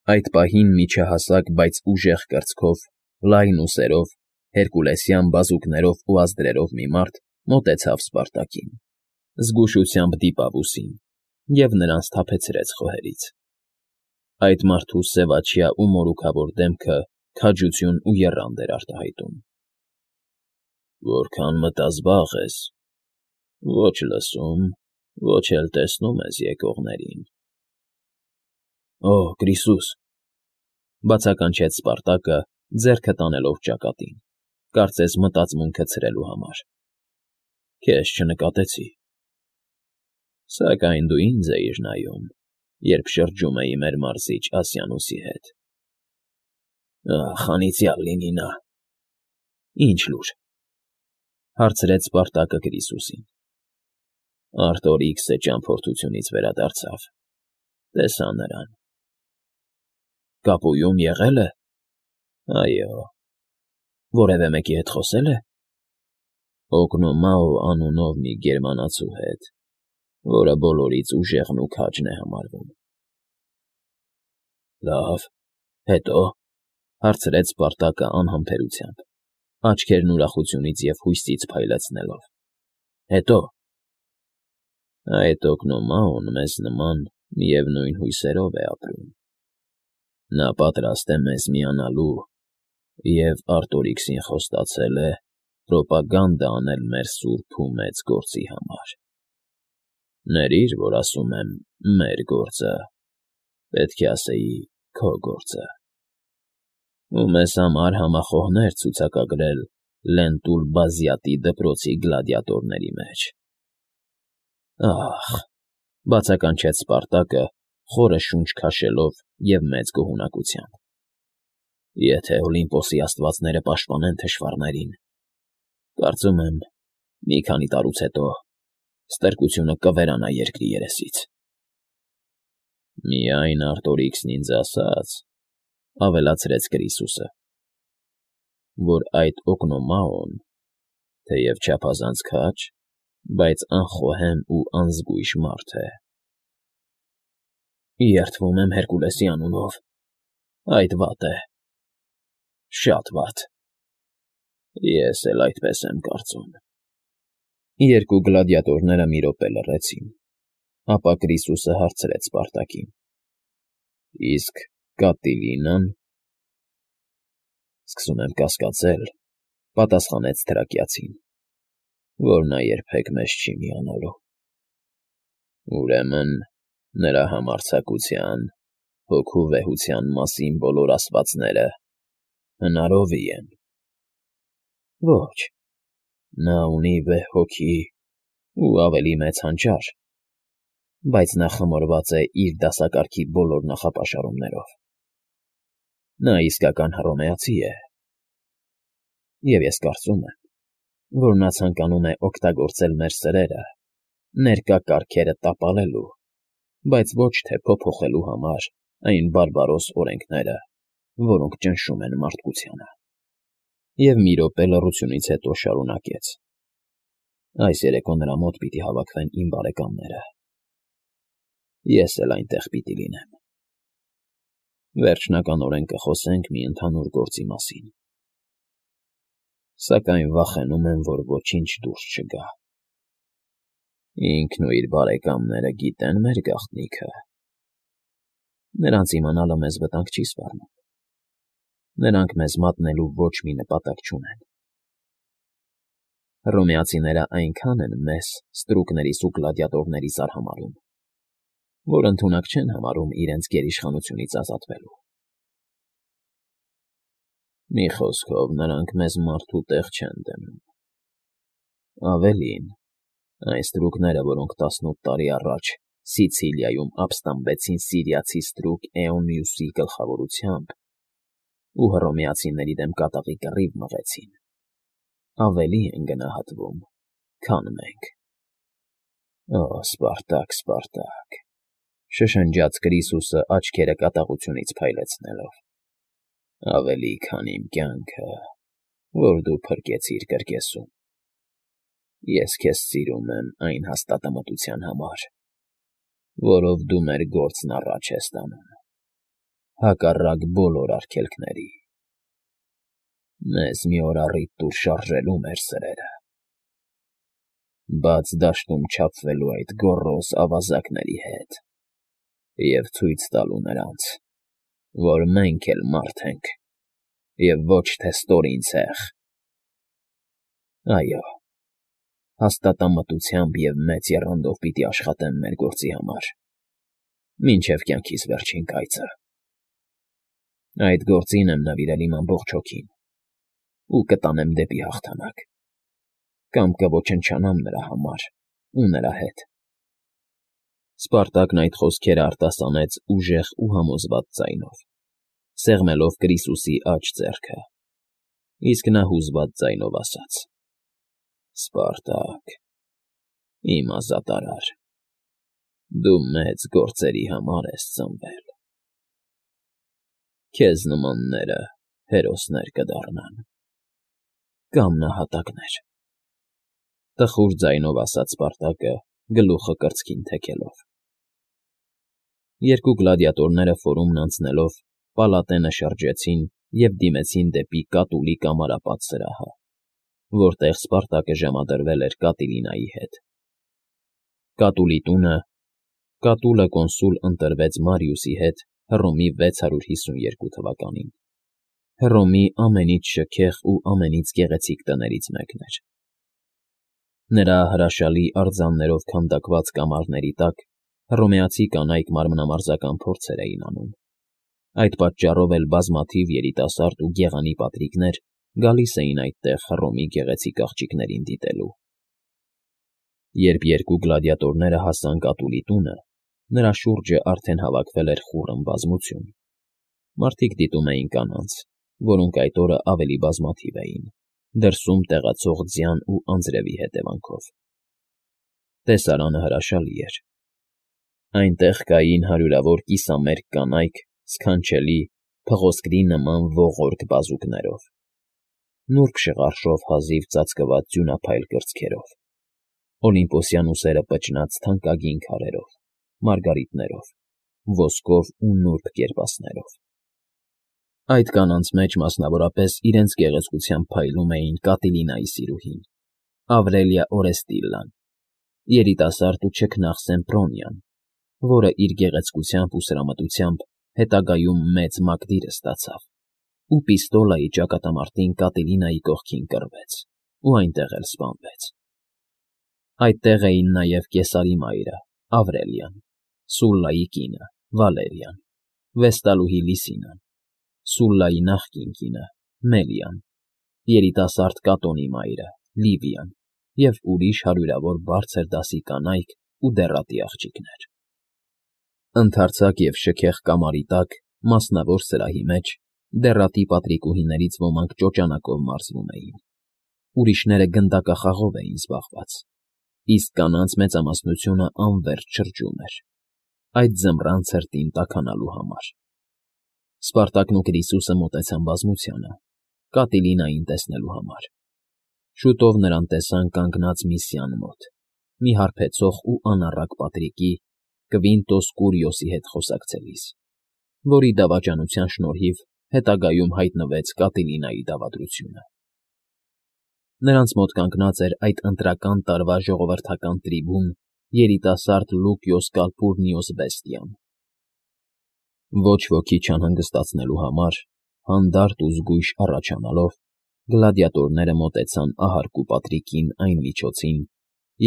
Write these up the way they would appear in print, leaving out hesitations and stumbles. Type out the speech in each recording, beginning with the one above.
Այդ պահին միջահասակ, բայց ուժեղ կրծքով, լայն ուսերով, հերկուլեսյան բազուկներով ու ազդրերով մի մարդ մոտեցավ Սպարտակին, զգուշությամբ դիպավ ուսին և նրան սթափեցրեց խոհերից. այդ մարդու սևաչյա ու մորուքավոր դեմքը քաջություն ու եռանդ էր արտահայտում։ Որքան մտազբաղ ես, ոչ լսում, ոչ էլ տեսնում ես եկողներին։ Օ, Գրիսուս,֊ բացականչեց Սպարտակը, ձեռքը տանելով ճակատին, կարծես մտածմունքը ցրելու համար։ Քեզ չնկատեցի։ Սակայն դու ինձ էիր նայում, երբ շրջում էի մեր մարզիչ Ասյանոսի հետ։ Ախ, անիծյալ լինի նա։ Ինչ լուր,֊ հարցրեց Սպարտակը Գրիսուսին։ Արտորիքսը ճամփորդությունից վերադարձավ։ Տեսա նրան։ Կապույում եղել է։ Այո։ Որևէ մեկի հետ խոսել է։ Օգնոմաո անունով մի գերմանացու հետ, որը բոլորից ուժեղն ու քաջն է համարվում։ Լավ, հետո,֊ հարցրեց Սպարտակը անհամբերությամբ, աչքերն ուրախությունից և հույսից փայլեցնելով։ Հետո։ Այդ օգնոմաոն մեզ նման միևնույն հույսերով է ապրում։ Նա պատրաստ է մեզ միանալու և Արտորիքսին խոստացել է պրոպագանդա անել մեր սուրբ ու մեծ գործի համար։ Ներիր, որ ասում եմ մեր գործը, պետք է ասեի քո գործը։ Ու մեզ համար համախոհներ ցուցակագրել Լենտուլ Բազյատի դպրոցի գլադիատորների մեջ։ Ախ,֊ բացականչեց Սպարտակը, խորը շունչ քաշելով և մեծ գոհունակությամբ։ Եթե Օլիմպոսի աստվածները պաշտպանեն թշվառներին, կարծում եմ, մի քանի տարուց հետո ստրկությունը կվերանա երկրի երեսից։ Միայն Արտորիքսն ինձ ասաց,֊ ավելացրեց Գրիսուսը,֊ որ այդ օգնոմաոն, թեև չափազանց քաջ, բայց անխոհեմ ու անզգույշ մարդ է։ Երդվում եմ Հերկուլեսի անունով, այդ վատ է։ Շատ վատ։ Ես էլ այդպես եմ կարծում։ Երկու գլադիատորները մի րոպե լռեցին, ապա Գրիսուսը հարցրեց Սպարտակին. Իսկ Կատիլինա՞ն։ Սկսում եմ կասկածել,֊ պատասխանեց թրակիացին,֊ որ նա երբեք մեզ չի միանալու։ Ուրեմն նրա համարձակության, հոգու վեհության մասին բոլոր ասվածները հնարովի են։ Ոչ, նա ունի վեհ հոգի ու ավելի մեծ հանճար, բայց նա խմորված է իր դասակարգի բոլոր նախապաշարումներով։ Նա իսկական հռոմեացի է։ Եվ ես կարծում եմ, որ նա ցանկանում է օգտագործել մեր սրերը, ներկա կարգերը տապալելու, բայց ոչ թե փոփոխելու համար այն բարբարոս օրենքները, որոնք ճնշում են մարդկությանը։ Եվ մի րոպե լռությունից հետո շարունակեց. Այս երեկո նրա մոտ պիտի հավաքվեն իմ բարեկամները։ Ես էլ այնտեղ պիտի լինեմ։ Վերջնականորեն կխոսենք մի ընդհանուր գործի մասին։ Սակայն վախենում եմ, որ ոչինչ դուրս չգա։ Ինքն ու իր բարեկամները գիտեն մեր գաղտնիքը։ Նրանց իմանալը մեզ վտանգ չի սպառնում։ Նրանք մեզ մատնելու ոչ մի նպատակ չունեն։ Հռոմեացիները այնքան են մեզ ստրուկներիս ու գլադիատորներիս արհամարհում, որ ընդունակ չեն համարում իրենց գերիշխանությունից ազատվելու։ Մի խոսքով, նրանք մեզ մարդու տեղ չեն դնում։ Ավելին, այն ստրուկները, որոնք 18 տարի առաջ Սիցիլիայում ապստամբեցին սիրիացի ստրուկ Էոնիուսի գլխավորությամբ ու հռոմեացիների դեմ կատաղի կռիվ մղեցին, ավելի են գնահատվում, քան մենք։ Օ, Սպարտակ, Սպարտակ,֊ շշնջաց Գրիսուսը աչքերը կատաղությունից փայլեցնելով,֊ ավելի քան իմ կյանքը, որ դու փրկեցիր կրկեսում։ Ես քեզ սիրում եմ այն հաստատամտության համար, որով դու մեր գործն առաջ ես տանում։ հակառակ բոլոր արգելքների։ Մեզ մի օր առիթ տուր շարժելու մեր սրերը, բաց դաշտում չափվելու այդ գոռոզ ավազակների հետ և ցույց տալու նրանց, որ մենք էլ մարդ ենք և ոչ թե ստորին ցեղ։ Այո, հաստատամտությամբ և մեծ եռանդով պիտի աշխատեմ մեր գործի համար, մինչև կյանքիս վերջին կայծը։ Այդ գործին եմ նվիրել իմ ամբողջ հոգին ու կտանեմ դեպի հաղթանակ, կամ կոչնչանամ նրա համար ու նրա հետ։ Սպարտակն այդ խոսքերը արտասանեց ուժեղ ու համոզված ձայնով, սեղմելով Կրիսուսի աջ ձեռքը, իսկ նա հուզված ձայնով ասաց. «Սպարտակ, իմ ազատարար, դու մեծ գործերի համար ես ծնվել։ Քեզ նմանները հերոսներ կդառնան կամ նահատակներ», տխուր ձայնով ասաց Սպարտակը, գլուխը կրծքին թեքելով։ Երկու գլադիատորները ֆորումն անցնելով պալատենը շրջեցին և դիմեցին դեպի Կատուլի կամարապատ սրահը, որտեղ Սպարտակը ժամադրվել էր Կատիլինայի հետ։ Կատուլի տունը Կատուլը կոնսուլ ընտրվեց Մարիուսի հետ Հռոմի 652 թվականին։ Հռոմի ամենից շքեղ ու ամենից գեղեցիկ տներից մեկն էր։ Նրա հրաշալի արձաններով քանդակված կամարների տակ հռոմեացի կանայք մարմնամարզական փորձեր էին անում։ Այդ պատճառով էլ բազմաթիվ երիտասարդ ու գեղանի պատրիկներ գալիս էին այդտեղ Հռոմի գեղեցիկ աղջիկներին դիտելու։ Երբ երկու գլադիատորները հասան Կատուլի տունը, նրա շուրջը արդեն հավաքվել էր խուռն բազմություն։ Մարդիկ դիտում էին կանանց, որոնք այդ օրը ավելի բազմաթիվ էին, դրսում տեղացող ձյան ու անձրևի հետևանքով։ Տեսարանը հրաշալի էր։ Այնտեղ կային հարյուրավոր կիսամերկ կանայք սքանչելի, փղոսկրի նման ողորկ բազուկներով, նուրբ շղարշով հազիվ ծածկված ձյունափայլ կրծքերով, օլիմպոսյան ուսերը պճնած թանկագին քարերով, մարգարիտներով, ոսկով ու նուրբ կերպասներով։ Այդ կանանց մեջ մասնավորապես իրենց գեղեցկությամբ փայլում էին Կատիլինայի սիրուհին, Ավրելիա Օրեստիլլան, երիտասարդ ու չքնաղ Սեմպրոնիան, որը իր գեղեցկությամբ ու սրամտությամբ հետագայում մեծ մակդիրը ստացավ, ու Պիստոլայի ճակատամարտին Կատիլինայի կողքին կռվեց ու այնտեղ էլ սպանվեց։ Այդտեղ էին նաև Կեսարի մայրը Ավրելիան, Սուլլայի կինը Վալերիան, Վեստալուհի Լիսինան, Սուլլայի նախկին կինը Մելիան, երիտասարդ Կատոնի մայրը Լիվիան և ուրիշ հարյուրավոր բարձր դասի կանայք ու դեռատի աղջիկներ։ Ընդարձակ և շքեղ կամարի տակ, մասնավոր սրահի մեջ, դեռատի պատրիկուհիներից ոմանք ճոճանակով մարզվում էին, ուրիշները գնդակախաղով էին զբաղված, իսկ կանանց մեծամասնությունը անվերջ շրջում էր, այդ ձմռան ցրտին տաքանալու համար։ Սպարտակն ու Կրիսուսը մոտեցան բազմությանը, Կատիլինային տեսնելու համար։ Շուտով նրան տեսան կանգնած մի սյան մոտ, մի հարբեցող ու անառակ պատրիկի՝ Կվինտոս Կուրիոսի հետ խոսակցելիս, որի դավաճանության շնորհիվ հետագայում հայտնվեց Կատիլինայի դավադրությունը։ Նրանց մոտ կանգնած էր այդ ընտրական տարվա ժողովրդական տրիբուն երիտասարդ Լուկիոս Կալփուրնիոս Վեստիան։ Ոչ ոքի չանհանգստացնելու համար, հանդարտ ու զգույշ առաջանալով, գլադիատորները մոտեցան ահարկու պատրիկին այն միջոցին,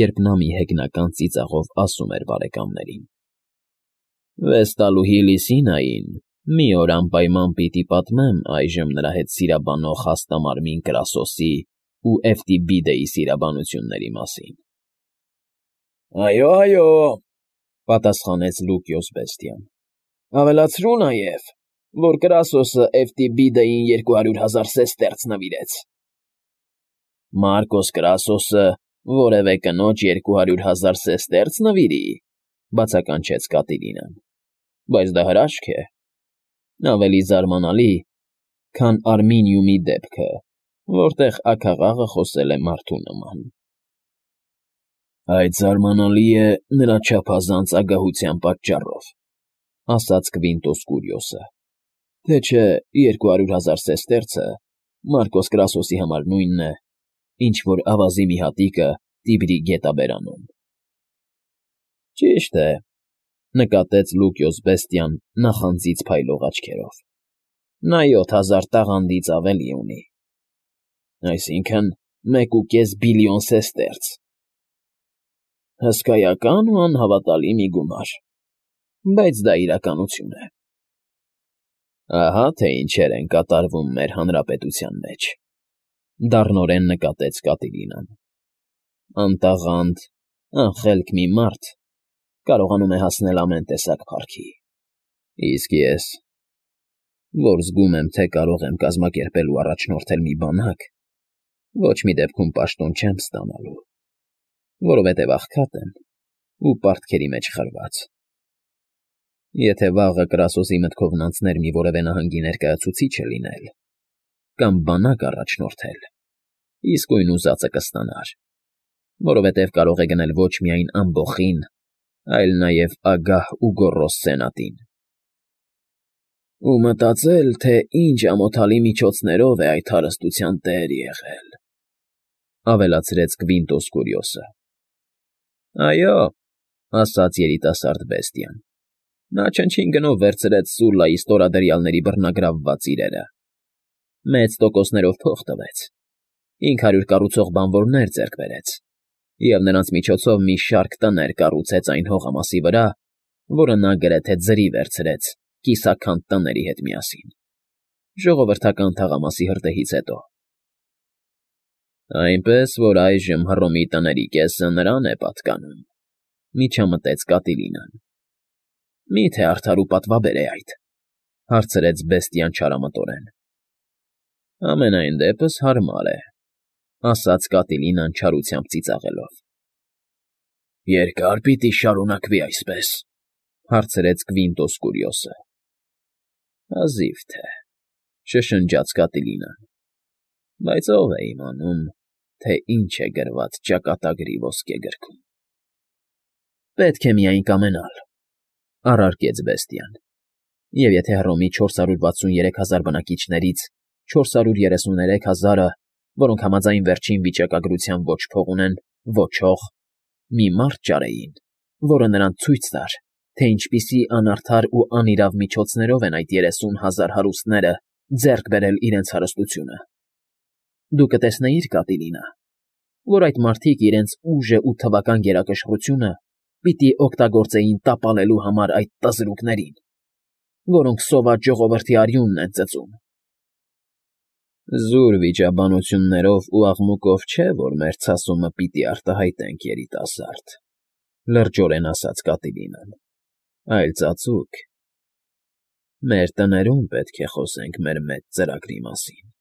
երբ նա մի հեգնական ծիծաղով ասում էր բարեկամներին. «Վեստալուհի Լիսինային մի օր անպայման պիտի պատմեմ այժմ նրա հետ սիրաբանող հաստամարմին Կրասոսի ու Էվտիբիդեի սիրաբանությունների մասին»։ «Այո, այո», պատասխանեց Լուկիոս Վեստիան, «ավելացրու նաև, որ Կրասոսը Էվտիբիդեին 200,000 սեստերց նվիրեց»։ «Մարկոս Կրասոսը որևէ կնոջ 200,000 սեստերց նվիրի,» բացականչեց Կատիլինան, «բայց դա հրաշք է, ավելի զարմանալի, քան Արմինիումի դեպքը, որտեղ աքաղաղը խոսել է մարդու նման»։ «Այդ զարմանալի է նրա չափազանց ագահության պատճառով», ասաց Կվինտոս Կուրիոսը, Թե չէ 200,000 սեստերցը Մարկոս Կրասոսի համար նույնն է, ինչ որ ավազի մի հատիկը Տիբրի գետաբերանում։ Ճիշտ է, նկատեց Լուկիոս Բեստիան նախանձից փայլող աչքերով։ Նա 7,000 տաղանդից ավելի ունի։ Այսինքն 1,5 բիլիոն սեստերց։ Հսկայական ու անհավատալի մի գումար, բայց դա իրականություն է։ Ահա թե ինչեր են կատարվում մեր հանրապետության մեջ, դառնորեն նկատեց Կատիլինան։ Անտաղանդ, անխելք մի մարդ կարողանում է հասնել ամեն տեսակ փառքի։ Իսկ ես, որ զգում եմ, թե կարող եմ կազմակերպել ու առաջնորդել մի բանակ, ոչ մի դեպքում պաշտոն չեմ ստանալու, որովհետև աղքատ եմ ու պարտքերի մեջ խրված։ Եթե վաղը Կրասոսի մտքովն անցներ մի որևէ նահանգի ներկայացուցիչը լինել, կամ բանակ առաջնորդել, իսկույն ուզածը կստանար, որովհետև կարող է գնել ոչ միայն ամբոխին, այլ նաև ագահ ու գոռոզ սենատին։ Ու մտածել, թե ինչ ամոթալի միջոցներով է այդ հարստության տեր եղել, ավելացրեց Կվինտոս Կուրիոսը։ Այո, ասաց երիտասարդ Բեստիան։ Նա չնչին գնով վերցրեց Սուլլայի ստորադրյալների բռնագրավված իրերը։ Մեծ տոկոսներով փող տվեց, 500 կառուցող բանվորներ ձեռք բերեց, և նրանց միջոցով մի շարք տներ կառուցեց այն հողամասի վրա, որը նա գրեթե ձրի վերցրեց կիսաքանդ տների հետ միասին, ժողովրդական թաղամասի հրդեհից հետո։ Այնպես, որ այժմ Հռոմի տների կեսը նրան է պատկանում, միջամտեց Կատիլինան։ Մի՞թե արդար ու պատվաբեր է այդ, հարցրեց Բեստիան չարամտորեն։ Ամենայն դեպս հարմար է, ասաց Կատիլինան չարությամբ ծիծաղելով։ Երկա՞ր պիտի շարունակվի այսպես, հարցրեց Կվինտոս Կուրիոսը։ Հազիվ թե, շշնջաց Կատիլինան, բայց ով է իմանում, թե ինչ է գրված ճակատագրի ոսկե գրքում։ Պետք է միայն կամենալ, առարկեց Բեստիան, և եթե Հռոմի 463,000 բնակիչներից 433,000-ը, որոնք համաձայն վերջին վիճակագրության ոչ փող ունեն, ոչ հող, մի մարդ ճարեին, որը նրանց ցույց տար, թե ինչպիսի անարդար ու անիրավ միջոցներով են այդ 30,000 հարուստները ձեռք բերել իրենց հարստությունը, դու կտեսնեիր, Կատիլինա, որ այդ մարդիկ իրենց ուժը ու թվական գերակշռությունը պիտի օգտագործեին տապալելու համար այդ տզրուկներին, որոնք սոված ժողովրդի արյունն են ծծում։ Զուր վիճաբանություններով ու աղմուկով չէ, որ մեր ցասումը պիտի արտահայտենք, երիտասարդ, լրջորեն ասաց Կատիլինան, այլ ծածուկ։ Մեր տներում պետք է խոսենք մեր մեծ ծրագրի մասին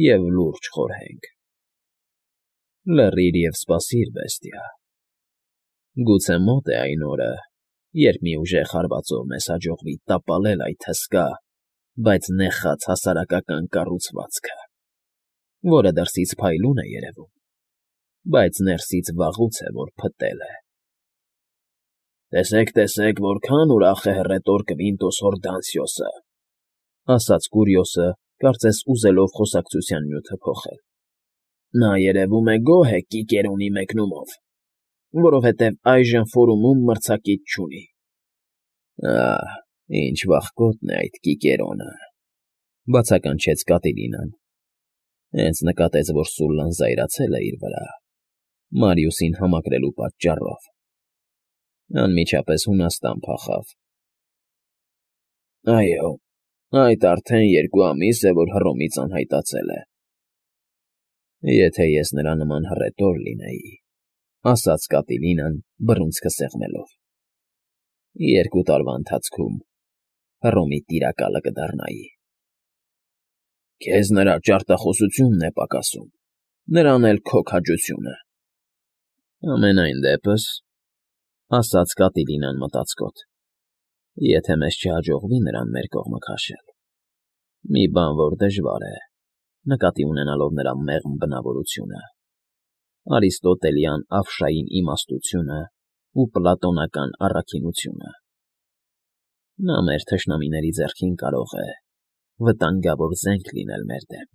և լուրջ խորհենք։ Լռիր և սպասիր, Բեստիա։ Գուցե մոտ է այն օրը, երբ մի ուժեղ հարվածով մեզ հաջողվի տապալել այդ հսկա, բայց նեխած հասարակական կառուցվածքը, որը դրսից փայլուն է երևում, բայց ներսից վաղուց է, որ փտել է։ Տեսեք, տեսեք, որքան ուրախ է հռետոր Կվինտոս Հորդանսիոսը, ասաց Կուրիոսը, կարծես ուզելով խոսակցության նյութը փոխել։ Նա երևում է գոհ է Կիկերոնի մեկնումով, որովհետև այժմ ֆորումում մրցակից չունի։ Ահ, ինչ վախկոտն է այդ Կիկերոնը, բացականչեց Կատիլինան։ Հենց նկատեց, որ Սուլլան զայրացել է իր վրա, Մարիուսին համակրելու պատճառով։ Անմիջապես Հունաստան փախավ։ Այո, այդ արդեն 2 ամիս է, որ Հռոմից անհայտացել է։ Եթե ես նրա նման հռետոր լինեի, ասաց Կատիլինան, բռունցքը սեղմելով, 2 տարվա ընթացքում Հռոմի տիրակալը կդառնայի։ Քեզ նրա ճարտախոսությունն է պակասում, նրան էլ քո քաջությունը։ Ամենայն դեպս, ասաց Կատիլինան մտածկոտ, եթե մեզ չհաջողվի նրան մեր կողմը քաշել, մի բան, որ դժվար է, նկատի ունենալով նրա մեղմ բնավորությունը, արիստոտելյան ավշային իմաստությունը ու պլատոնական առաքինությունը։ Նա մեր թշնամիների ձեռքին կարող է վտանգավոր զենք լինել մեր դեմ։